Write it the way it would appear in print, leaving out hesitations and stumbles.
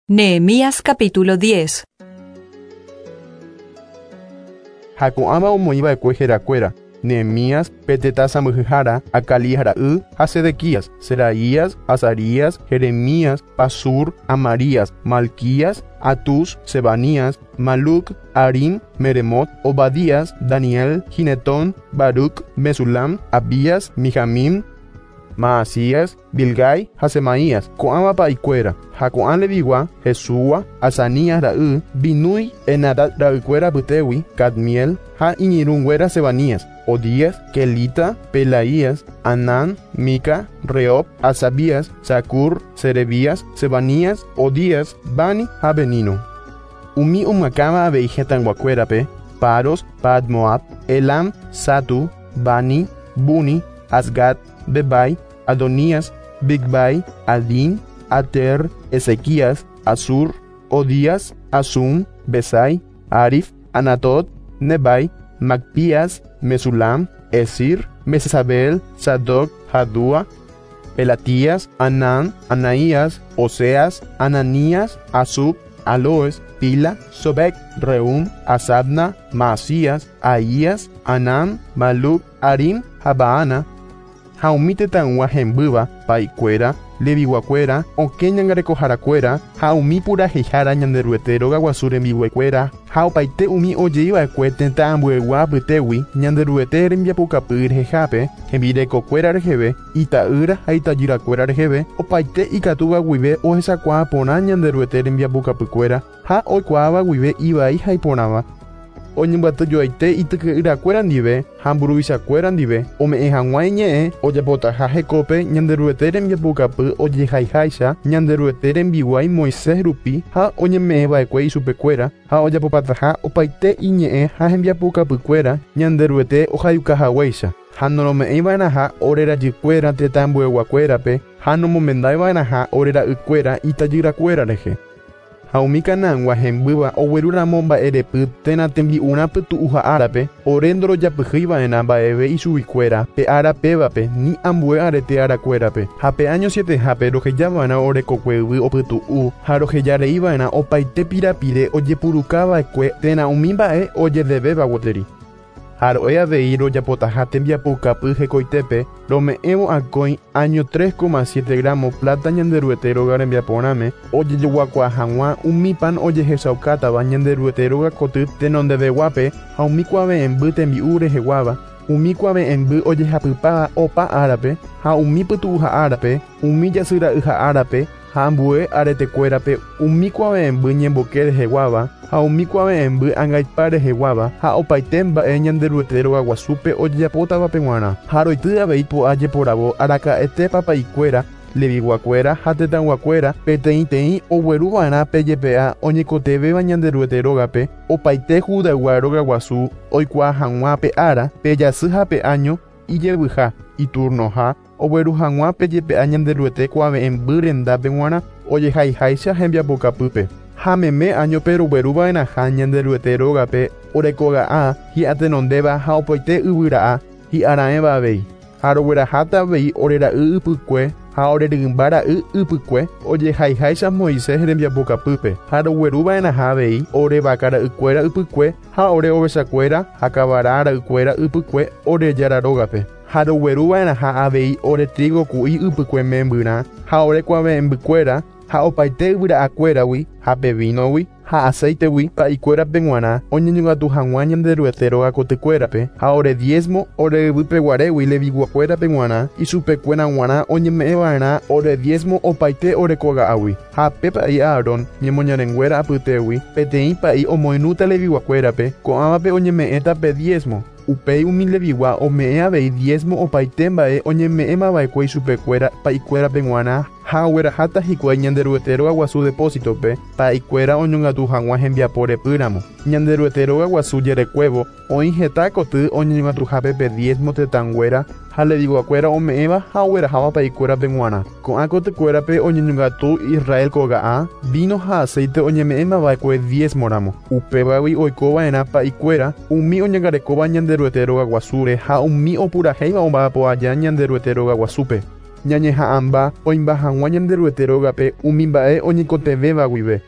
Nehemías capítulo 10. Ha ko'ãva omoĩva'ekue herakuéra, Nehemías, pe tetã sãmbyhyhára, Acalías ra'y ha Sedequías, Seraías, Azarías, Jeremías, Pasur, Amarías, Malquías, Atús, Sebanías, Maluc, Harim, Meremot, Obadías, Daniel, Ginetón, Baruc, Mesulam, Abías, Mijamín, Maasías, Bilgai ha Semaías, ko'ãva pa'ikuéra, ha ko'ã Levigua, Jesúa, Azanías ra'y, Binúi, Henadad ra'ykuéra apytégui, Cadmiel ha iñirũnguéra Sebanías, Odías, Kelita, Pelaías, Anán, Mica, Rehob, Hasabías, Zacur, Serebías, Sebanías, Odías, Bani ha Benino. Umi omyakãva avei hetãyguakuérape, Paros, Padmoab, Elam, Zatu, Bani, Buni, Azgad, Bebai, Adonías, Bigvai, Adín, Ater, Ezequías, Azur, Odías, Asum, Besai, Arif, Anatot, Nebai, Macpías, Mesulam, Esir, Mesesabel, Sadoc, Jadúa, Pelatías, Anán, Anaías, Oseas, Ananías, Asub, Aloes, Pila, Sobek, Reum, Asabna, Maasías, Ahías, Anán, Maluc, Harim, Habaana, ha umi tetãygua hembýva, pa'ikuéra, leviguakuéra, okẽ ñangarekoharakuéra ha umi purahéihára Ñanderuete rogaguasu rembiguaikuéra ha opaite umi ojeiva'ekue tetã ambuegua apytégui Ñanderuete rembiapokapy rehehápe, hembirekokuéra reheve, ita'ýra ha itajyrakuéra reheve, opaite ikatúva guive ohechakuaa porã Ñanderuete rembiapokapykuéra ha oikuaáva guive ivai ha iporãva. Oñembyatyjoaite ityke'yrakuéra ndive ha mburuvichakuéra ndive ome'ẽ hag̃ua iñe'ẽ ojapotaha hekópe Ñanderuete rembiapoukapy ojehaiháicha Ñanderuete rembiguái Moisés rupi ha oñeme'ẽva'ekue ichupekuéra ha ojapopataha opaite iñe'ẽ ha hembiapoukapykuéra Ñanderuete ohayukahaguéicha ha norome'ẽiva'erãha ore rajykuéra tetã ambueguakuérape ha nomomendaiva'erãha ore ra'ykuéra itajyrakuéra rehe. Ha umi Canaangua hembýva ogueru ramo mba'erepy térã tembi'urã pytu'uha árape, ore ndorojapyhýi va'erã mba'eve ichuguikuéra pe ára pévape ni ambue arete arakuérape. Ha pe áño sietehápe roheja va'erã ore kokue yvy opytu'u ha roheja rei va'erã opaite pirapire ojepuruka va'ekue térã umi mba'e ojedevéva gueteri. Ha ro'e avei rojapotaha tembiapoukapy hekoitépe, rome'ẽvo akói áño 3,7 gramo pláta Ñanderuete róga rembiaporãme, ojejoguakuaa hag̃ua umi pan ojehechaukátava Ñanderuete róga koty tenondeveguápe ha umi kuave'ẽmby tembi'u reheguáva, umi kuave'ẽmby ojehapypáva opa árape, ha umi pytu'uha árape, umi jasyra'yha árape, ha ambue aretekuérape umi kuave'ẽmby ñemboke reheguáva ha umi kuave'ẽmby angaipa reheguáva ha opaite mba'e Ñanderuete rogaguasúpe ojejapótavape g̃uarã. Ha roity avei po'a jeporavo araka'ete papa'ikuéra, Leviguakuéra ha tetãyguakuéra peteĩteĩ ogueruva'erã pe jepe'a oñekotevẽva Ñanderuete rógape, opaite Judaygua rogaguasu oikuaa hag̃ua pe ára, pe jasy ha pe áño, ijevyha, iturnoha, ogueru hag̃ua pe jepe'a Ñanderuete kuave'ẽmby rendápe g̃uarã, ojehaiháicha hembiapokapýpe. Ha meme áñope rogueru va'erãha Ñanderuete rógape orekoga'a hi'atenondéva ha opaite yvyra'a hi'araẽva avei. Ha rogueraháta avei ore ra'y ypykue ha ore rymba ra'y ypykue ojehaiháicha Moisés rembiapokapýpe, ha rogueru va'erãha avei ore vaka ra'ykuéra ypykue ha ore ovechakuéra ha kavara ra'ykuéra ypykue ore Jára rógape. Ha rogueru va'erãha avei ore trígo ku'i ypykue membyrã ha ore kuave'ẽmbykuéra ha opaite yvyra'akuéragui ha pe vínogui ha acéitegui pa'ikuérape g̃uarã oñeñongatu hag̃ua Ñanderuete róga kotykuérape ha ore diezmo ore yvýpe guarégui Leviguakuérape g̃uarã ichupekuéra g̃uarã oñeme'ẽ va'erã ore diezmo opaite ore koga'águi. Ha pe pa'i Aarón ñemoñarenguéra apytégui peteĩ pa'i omoirũta Leviguakuérape, ko'ãvape oñeme'ẽta pe diezmo. Upéi umi Levigua ome'ẽ avei diezmo opaite mba'e oñeme'ẽmava'ekue ichupekuéra pa'ikuérape g̃uarã ha ogueraháta hikuái Ñanderuete rogaguasu depósitope, pa'ikuéra oñongatu hag̃ua hembiapo repýramo. Ñanderuete rogaguasu jerekuévo oĩ heta koty oñeñongatuhápe pe diezmo tetãnguéra ha Leviguakuéra ome'ẽva ha ogueraháva pa'ikuérape g̃uarã. Ko'ã kotykuérape oñeñongatu Israel koga'a, víno ha aceite oñeme'ẽmava'ekue diezmo-ramo. Upévagui oikova'erã pa'ikuéra, umi oñangarekóva Ñanderuete rogaguasúre ha umi opurahéiva omba'apo aja Ñanderuete rogaguasúpe. Ñañeha'ãmba oĩmba hag̃ua Ñanderuete rógape umi mba'e oñeikotevẽva guive.